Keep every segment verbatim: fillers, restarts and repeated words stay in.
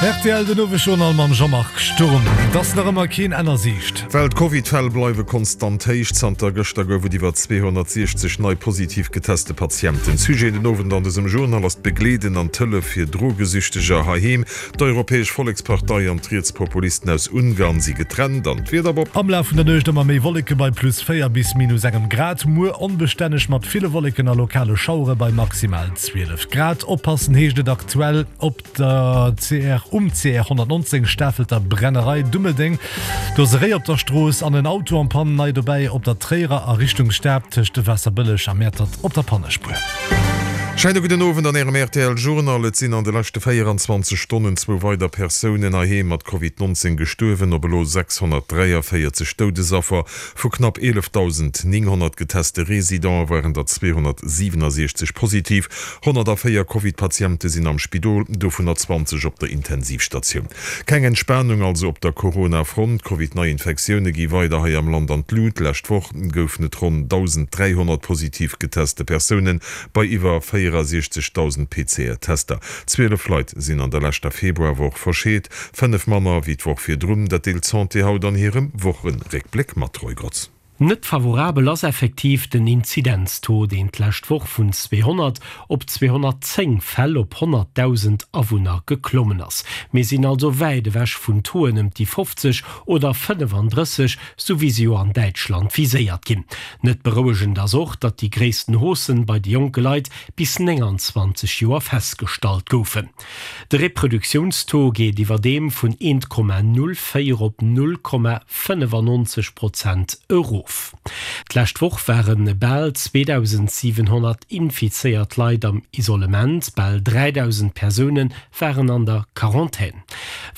Rtl den Owesjournal mam Jean-Marc Sturm. Et ass nach ëmmer keen Enn a Siicht. Well d'Covid-Fäll bleiwe konstant héich. Zanter gëschter gouf et iwwer zweehonnertsiechzeg nei positiv geteste Patienten. Sujet den Owend an dësem Journal ass d'Begleeden an d'Hëllef fir Drogesüchteger heiheem. D'Europäesch Vollekspartei an d'Rietspopulisten aus Ungarn si getrennt. An d'Wieder, Bob? Am Laf vun der Nuecht ëmmer méi Wolleke bei plus véier bis minus engem Grad. Muer onbestänneg mat ville Wolleken a lokale Schauere bei maximal zwielef Grad. Oppassen heescht et aktuell op der C R um C R honnertnonzéng Stafelter Brennerei Dummeldeng. Do ass e Réi op der Strooss an en Auto en panne. Nei dobäi op der Tréierer a Richtung Stad tëscht Waasserbëlleg a Mäertert op der Pannespuer. Scheine gudden Owend an Ärem R T L Journal. Et sinn an de leschte véieranzwanzeg Stonnen zwou weider Persounen heiheem mat Covid nonzéng gestuerwen, op elo sechshonnertdräiavéierzeg Doudesaffer. Vu knapp eelefdausendnénghonnert geteste Residente waren der zweehonnertsiwenasiechzeg positiv. Honnertavéier Covid-Patiente sinn am Spidol, dovunner zwanzeg op der Intensivstatioun. Keng Entspanung also op der Corona-Front. D'Covid-Neiinfektioune gi weider hei am Land an d'Lut. D'lescht Woch goufen et ronn dausenddräihonnert positiv geteste Persounen bei iwwer véierasiechzegdausend P C R-Tester. Zwielef Leit sinn an der leschter Februarwoch verscheet, fënnef manner wéi d'Woch virdrun. Dat deelt d'Santé haut an hirem Wochenréckbléck mat. Roy Grotz. Net favorabel ass effektiv den Inzidenztaux, deen d'lescht Woch vun zweehonnert op zweehonnertzéng Fäll op honnertdausend Awunner geklommen ass. Mir sinn also wäit ewech vun Tauxen ëm déi fofzeg oder fënnefandrësseg, sou wéi se jo an Däitschland viséiert ginn. Net berouegend ass och, datt déi gréissten Hausse bei de jonke Leit bis nénganzwanzeg Joer festgestallt goufen. De Reproduktiounstaux geet iwwerdeem vun eent Komma null véier op null Komma fënnefannonzeg Prozent erof. D'lescht Woch ware bal zweedausendsiwenhonnert infizéiert Leit am Isolement, bal dräidausend Persoune waren an der Quarantän.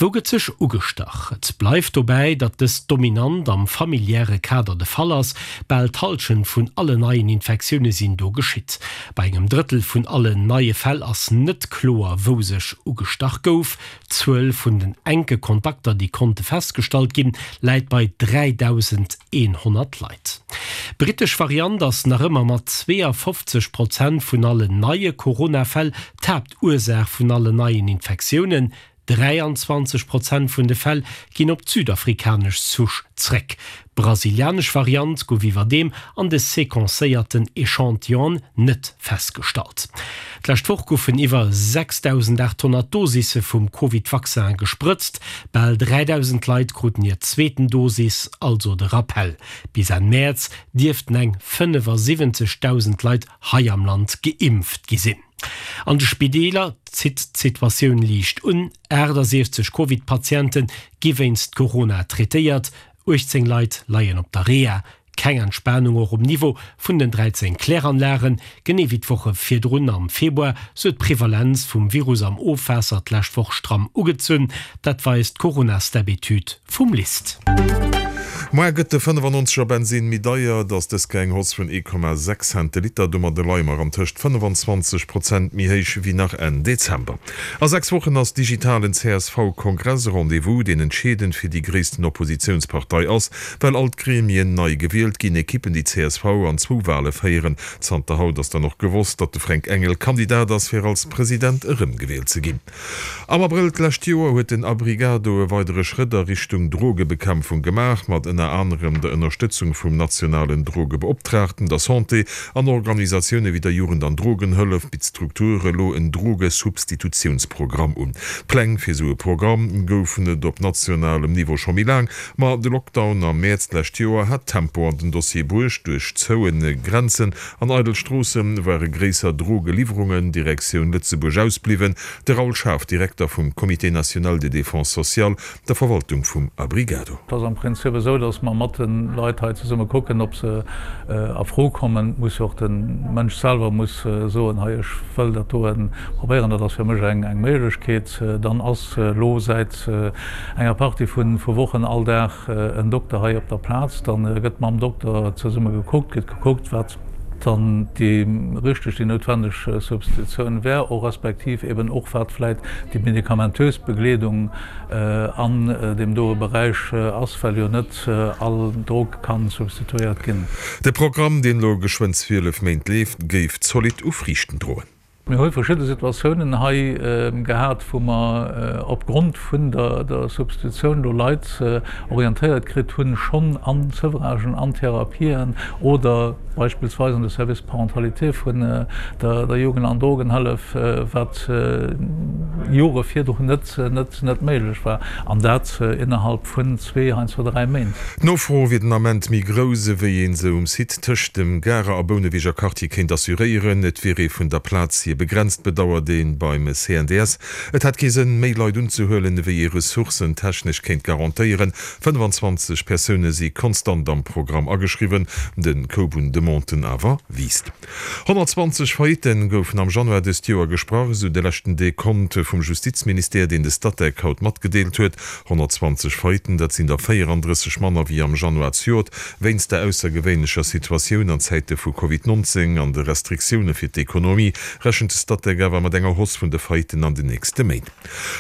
Wou gëtt sech ugestach? Et bleift dobäi, datt dëst dominant am familiäre Kader de Fall ass, bal d'Hallschent vun allen neien Infektioune sinn do geschitt. Bei engem Drëttel vun allen neie Fäll ass net kloer, wou sech ugestach gouf. D'Zuel vun den enke Kontakter, déi konnte festgestallt ginn, läit bei dräidausendeenhonnert Leit. D'brittesch Variant ass nach ëmmer mat zweeafofzeg Prozent vun allen neie Corona-Fäll d'Haaptursaach vun allen neien Infektiounen. Dräianzwanzeg Prozent vun de Fäll ginn op d'südafrikanesch Souche zréck. D'brasilianesch Variant gouf iwwerdeem an de sequencéierten Echantillonen net festgestallt. D'lescht Woch goufen iwwer sechsdausendaathonnert Dosisse vum Covid-Vaccin gesprëtzt. Bal dräidausend Leit kruten hir zweeten Dosis, also de Rappel. Bis Enn Mäerz dierften eng fënnefasiwwenzegdausend Leit hei am Land geimpft gi sinn. An de Spideeler zitt d'Situatioun liicht un, aachtsiechzeg Covid-Patiente gi wéinst Corona traitéiert, uechtzéng Leit leien op der Reha. Keng Entspanung och um Niveau vun den dräizéng Kläranlagen, genee wéi d'Woche virdrun am Februar, sou d'Prevalenz vum Virus am Ofwaasser d'lescht Woch stramm ugezunn. Dat weist d'Corona-Step-Etüd vum LIST. Moar gëtt de fënnefannonzeger Bensinn méi deier, et ass dës Kéier eng Hausse vun ee Komma sechs Cent de Liter. Domadde leie mer an tëscht fënnefan zwanzeg Prozent méi héich wéi nach Enn Dezember. A sechs Wochen ass digitalen C S V-Kongress, e Rendez-vous, deen entscheedend fir déi gréissten Oppositiounspartei ass, well all d'Gremien nei gewielt ginn, Ekippen, déi d'C S V an zwou Wale féieren. Zanter haut ass dann och gewosst, datt de Fränk Engel Kandidat ass, fir als President erëmgewielt ze ginn. Am Abrëll d'lescht Joer huet den Abrigado e weidere Schrëtt a Richtung Drogebekämpfung gemaach, mat ënner anerem der Ënnerstëtzung vum nationalen Drogebeoptraagten, der Santé an Organisatioune wéi der Jugend an Drogenhëllef bitt d'Struktur elo en Drogesubstitutiounsprogramm un. Pläng fir esou e Programm goufen et op nationalem Niveau scho méi laang, ma de Lockdown am Mäerz d'lescht Joer hat Tempo an den Dossier bruecht. Duerch zoue Grenzen an eidel Stroosse ware gréisser Drogeliwwerungen Direktioun Lëtzebuerg ausbliwwen. De Raoul Schaaf, Direkter vum Comité national de défense sociale, der Verwaltung vum Abrigado. Et ass am Prinzip esou, dass mer mat de Leit hei zesumme kucken, ob se a Fro kommen. Et muss jo och de Mënsch selwer muss soen, hei ech wëll dat doen probéieren, dat ass fir mech eng Méiglechkeet. Dann ass elo säit enger Partie vu Wochen all Dag en Dokter hei op der Plaz. Da gëtt mam Dokter zesumme gekuckt, gëtt gekuckt, wat dann déi richteg, déi noutwendeg Substitutioun wär, och respektiv eben och wat vläit déi medikamentös Begleedung an deem doe Beräich ass, well jo net all Drog ka substituéiert ginn. De Programm, deen elo geschwënn zwielef Méint leeft, géif zolidd u Friichten droen. Mir hu verschidde Situatiounen hei gehat, wou mer opgrond vun der Substitutioun do Leit orientéiert kritt hunn, schonn an Sevragen, an Therapien oder beispillsweis an de Service Parentalité vun der Jugend an Drogenhëllef, wat Jore virdrun net méiglech war, an dat innerhalb vun zwee, heiansdo dräi Méint. D'Nofro wier den Ament méi grouss, ewéi ee se um Site tëscht dem Garer a Bouneweger Quartier kéint assuréieren. Et wier ee vun der Plaz hier begrenzt, bedauert ee beim C N D S. Et hätt kee Sënn, méi Leit unzehuelen, ewéi ee ressourcentechnesch kéint garantéieren. fënnfanzwanzeg Persoune si konstant am Programm ageschriwwen, de Koup un Demanden awer wiisst. Honnertzwanzeg Faillitten goufen am Januar dëst Joer gesprach, esou de leschten Dekont vum Justizministère, deen de Statec haut matgedeelt huet. Honnertzwanzeg Faillitten, dat sinn der véierandrësseg manner wéi am Januar zejoert. Wéinst der aussergewéinlecher Situatioun an Zäite vu Covid nonzéng an de Restriktioune fir d'Ekonomie rechent de Statec awer mat enger Hausse vun de Faillitten an den nächste Méint.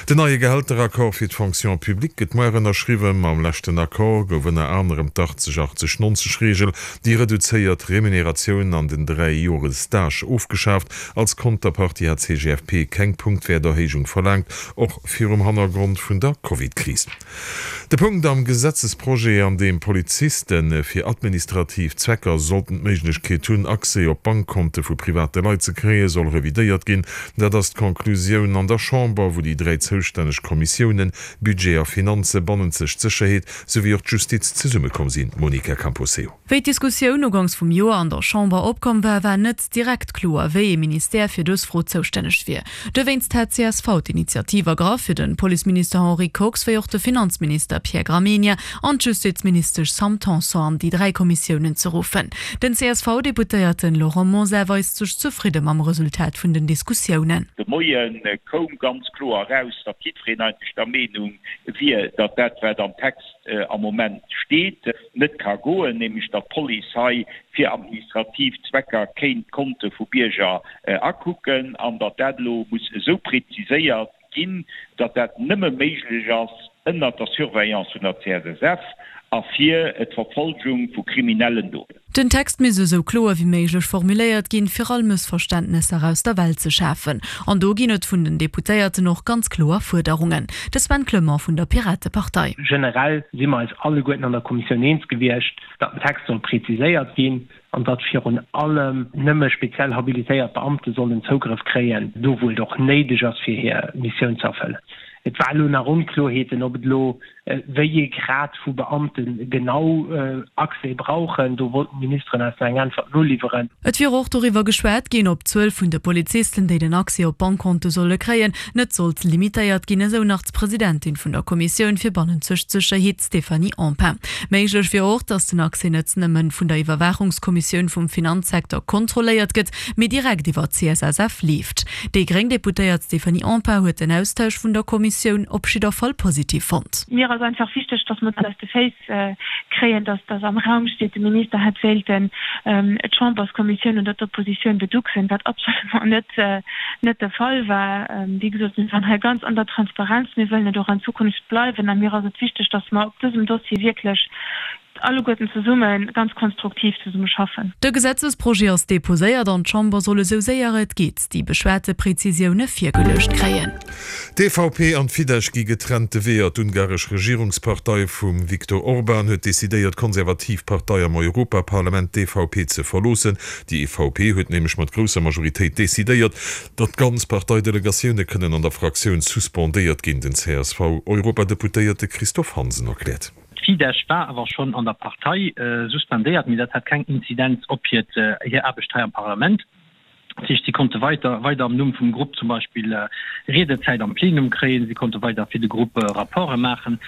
Den neie Gehälteraccord fir d'Fonction publique gëtt muer ënnerschriwwen. Mam leschten Accord gouf ënner anerem d'achtzeg achtzeg nonzeg Reegel, déi reduzéiert Remuneratioun an den dräi Jore Stage, ofgeschaaft. Als Konterpartie hat d'C G F P keng Punktwäerterhéijung verlaangt, och virum Hannergrond vun der Covid-Kris. De Punkt am Gesetzesprojet, an deem Poliziste fir administrativ Zwecker sollten d'Méiglechkeet hunn, Accès op Bankkonte vu private Leit ze kréien, soll revidéiert ginn. Dat ass d'Conclusioun an der Chamber, wou déi dräi zoustänneg Kommissiounen, Budget a Finanzen, bannenzeg Sécherheet souwéi och d'Justiz zesummekomm sinn. Monica Camposeo. Wéi d'Diskussioun ugangs vum Joer an der Chamber opkomm war, war net direkt kloer, wéi ee Ministère fir dës Fro zoustänneg wier. Dowéinst hat C S V d'Initiativ ergraff, fir de Policeminister Henri Kox wéi och de Finanzminister Pierre Gramegna an d'Justizministesch Sam Tanson an déi dräi Kommissiounen ze ruffen. Den C S V-Deputéierte Laurent Mosar weist sech zefridde mam Resultat vun den Diskussiounen. De Moie koum ganz kloer eraus, datt jiddwereen eigentlech der Meenung wier, datt dat, wat am Text am Moment steet, net ka goen, nämlech datt d'Police hei fir administrativ Zwecker kéint Konte vu Bierger akucken, an datt dat elo muss esou preziséiert ginn, datt dat nëmme méiglech ass ënnert der Surveillance vun der C S S F a fir d'Verfolgung vu kriminellen Doten. Den Text misst esou kloer wéi méiglech formuléiert ginn, fir all Mëssverständnesser aus der Welt ze schafen. An do ginn et vun den Deputéierten och ganz kloer Fuerderungen. De Sven Clement vun der Piratepartei. Generell si mer eis alleguerten an der Kommissioun eens gewiescht, datt den Text soll präziséiert ginn an datt virun allem nëmme speziell habilitéiert Beamte sollen Zougrëff kréien, do wou et och néideg ass fir hir Missioun ze erfëllen. Et war elo nach Onkloerheeten, ob et elo wéi ee Grad vu Beamte genau Accès brauchen. Do wollten d'Ministeren eis nach eng Äntwert noliwweren. Et wier och doriwwer geschwat ginn, ob d'Zuel vun de Polizisten, déi den Accès op Bankkonte solle kréien, net sollt limitéiert ginn, esou nach d'Presidentin vun der Kommissioun fir bannenzeg Sécherheet Stéphanie Empain. Méiglech wier och, datt den Accès net nëmme vun der Iwwerwaachungskommissioun vum Finanzsecteur kontrolléiert gëtt, mee direkt iwwer d'C S S F leeft. Déi gréng Deputéiert Stéphanie Empain huet den Austausch vun der Kommissioun op jidder Fall positiv fonnt. Mir ass einfach wichteg, dass mer dat aus de Féiss kréien, dass dass am Raum steet, de Minister hätt wéilten d'Chamberskommissioun oder d'Oppositioun beducksen, wat absolument net net de Fall war. Wéi gesot, mir waren hei ganz an der Transparenz, mir wëllen et och an Zukunft bleiwen a mir ass et wichteg, dass mer op dësem Dossier wierklech alleguerten zesumme ganz konstruktiv zesumme schaffen. De Gesetzesprojet ass deposéiert an d'Chamber soll esou séier et geet déi beschwate Prezisioune virgeluecht kréien. D'E V P an d'Fidesz gi getrennte Weeër. D'ungaresch Regierungspartei vum Viktor Orban huet decidéiert, d'konservativ Partei am Europaparlament, d'E V P, ze verloossen. Déi E V P huet nämlech mat grousser Majoritéit decidéiert, datt ganz Parteidelegatioune kënnen an der Fraktioun suspendéiert ginn. Den C S V-Europadeputéierte Christophe Hansen erkläert. D'Fidesz war awer schonn an der Partei suspendéiert, mee dat hat keng Inzidenz op hiert hir Aarbecht hei am Parlament. Dat heescht, si konnte weiter weider am Numm vum Grupp zum Beispill Riedezäit am Plenum kréien, si konnte weider fir de Grupp Rapporte maachen.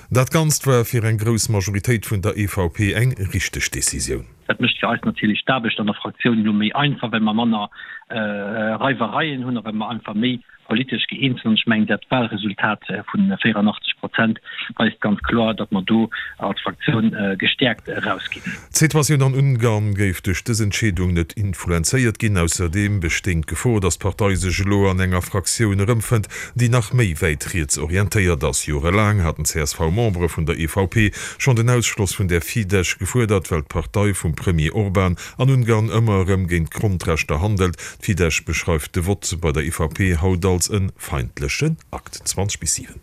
Dat Ganzt war fir eng grouss Majoritéit vun der E V P eng richteg Decisioun. Dat mécht fir eis natierlech d'Aarbecht an der Fraktioun elo méi einfach, well mer manner Reiwereien hunn a well mer einfach méi politesch gëeent sinn. An ech mengen, dat Wahlresultat vu véierannachtzeg Prozent weist ganz kloer, datt mer do als Fraktioun gestäerkt erausginn. D'Situatioun an Ungarn géif duerch dës Entscheedung net influenzéiert ginn. Ausserdeem bestéing d'Gefor, datt d'Partei sech elo an enger Fraktioun erëmfënnt, déi nach méi wäit riets orientéiert ass. Jorelaang haten C S V-Membere vun der E V P schonn den Ausschloss vun der Fidesz gefuerdert, well d'Partei vum Premier Orban an Ungarn ëmmer erëm géint d'Grondrechter handelt. D'Fidesz beschreift de Vott bei der E V P haut als e feindlechen Akt. zwanzeg bis siwen.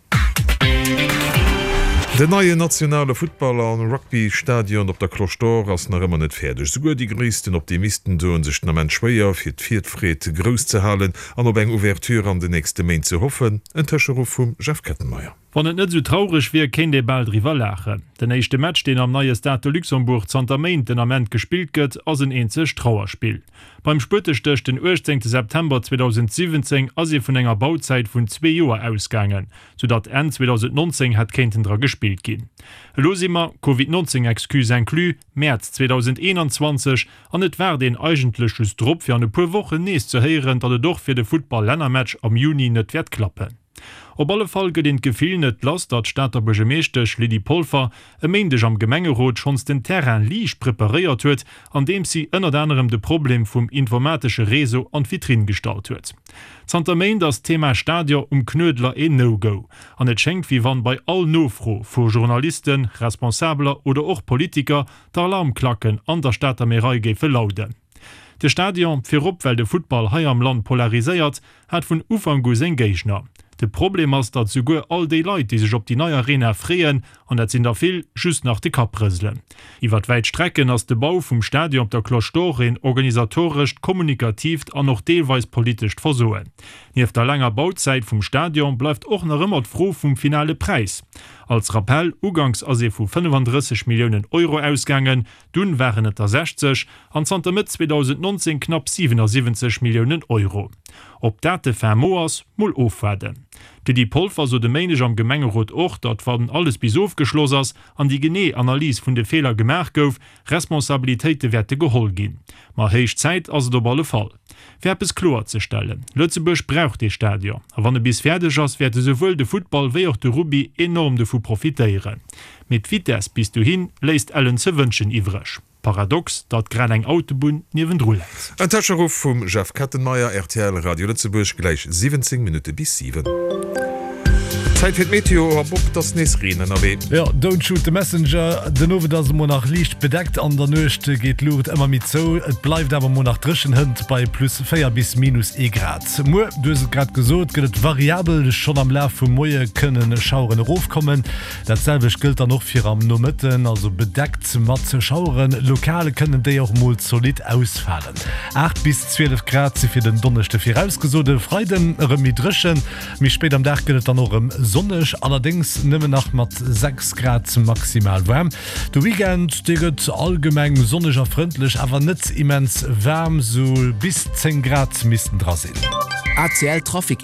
Den neien nationale Futtball a Rugby-Stadion op der Cloche d'Or ass nach ëmmer net fäerdeg. Souguer déi gréissten Optimisten doen sech den Ament schwéier, fir d'Virfreed grouss ze halen an op eng Ouverture an den nächste Méint ze hoffen. En Tëscheruff vum Jeff Kettenmeyer. Wann et net esou traureg wier, kéint ee bal driwwer laachen. Den éischte Match, deen am neie Stade de Luxembourg zanter Méint den Ament gespillt gëtt, ass en eenzegt Trauerspill. Beim Spuetestéch den uechtzéngte September zweedausendsiwwenzéng ass ee vun enger Bauzäit vun zwee Joer ausgaangen, soudatt Enn zweedausendnonzéng hätt kéinten dra gespillt ginn. Elo si mer, Covid nonzéng Excuse inclus, Mäerz zweedausendeenanzwanzeg an et waart een eigentlech just drop, fir an e puer Wochen nees ze héieren, datt et och fir de Futtball-Lännermatch am Juni net wäert klappen. Op alle Fall gëtt een d'Gefill net lass, datt d'Stater Buergermeeschtesch Lydie Polfer e Méindeg am Gemengerot schonns den Terrain liicht preparéiert huet, andeems si ënnert anerem de Problem vum informatesche Réseau an d'Vitrinn gestallt huet. Zanter Méint ass d'Thema Stadion um Knuedler een No-Go, an et schéngt wéi wann bei all Nofro vu Journalisten, Responsabeler oder och Politiker d'Alarmklacken an der Stater Märei géife lauden. De Stadion, virop well de Futtball hei am Land polariséiert, hat vun Ufank u seng Géigner. De Problem ass, datt souguer all déi Leit, déi sech op déi nei Arena freeën, an dat sinn der vill, just nach de Kapp rëselen. Iwwer wäit Strecken ass de Bau vum Stadion op der Cloche d'Or een organisatorescht, kommunikatiivt an och deelweis politescht Versoen. Nieft der laanger Bauzäit vum Stadion bleift och nach ëmmer d'Fro vum finale Präis. Als Rappell, Uganks ass ee vu fënnefandrësseg Milliounen Euro ausgaangen, dunn waren et der sechzeg an zanter Mëtt zweedausendnonzéng knapp siwenasiwwenzeg Milliounen Euro. Ob dat de fin mot ass, mol ofwaarden. D'Lydie Polfer sot e Méindeg am Gemengerot och, datt wann alles bis ofgeschloss ass an déi genee Analys vun de Feeler gemaach gouf, Responsabilitéite wäerte geholl ginn. Ma héich Zäit ass et op alle Fall. Fir eppes kloerzestellen, Lëtzebuerg brauch dee Stadion, a wann e bis fäerdeg ass, wäerte souwuel de Futtball wéi och de Rugby enorm dovu profitéieren. Mee d'Vitess bis dohi léisst ellen ze wënschen iwwreg. Paradox, datt grad eng Autobunn niewendru läit. En Tëscheruff vum Jeff Kettenmeyer, rtl Radio Lëtzebuerg, gläich siwwenzéng Minutte bis siwen. Zäit fir d'Meteo a Bob, 't ass nees Reen ënnerwee. Jo, don't shoot the messenger. Den Owend ass et mol nach liicht bedeckt, an der Nuecht geet d'Luucht ëmmer méi zou. Et bleift awer mol nach dréchen, hënt bei plus véier bis minus ee Grad. Muer, du hues et grad gesot, gëtt et variabel, schonn am Laf vum Moie kënne Schaueren erofkommen. Dat selwecht gëllt dann och fir am Nomëtten, also bedeckt mat Schaueren. Lokal kënnen déi och mol zolidd ausfalen. Aacht bis zwielef Grad si fir den Donneschde virausgesot. E Freiden erëm méi dréchen, méi spéit am Dag gëtt et dann och erëm sonneg, allerdéngs nëmmen nach mat sechs Grad maximal waarm. De Weekend, dee gëtt allgemeng sonneg a frëndlech, awer net immens waarm, sou bis zéng Grad missten dra sinn. A C L Trafic.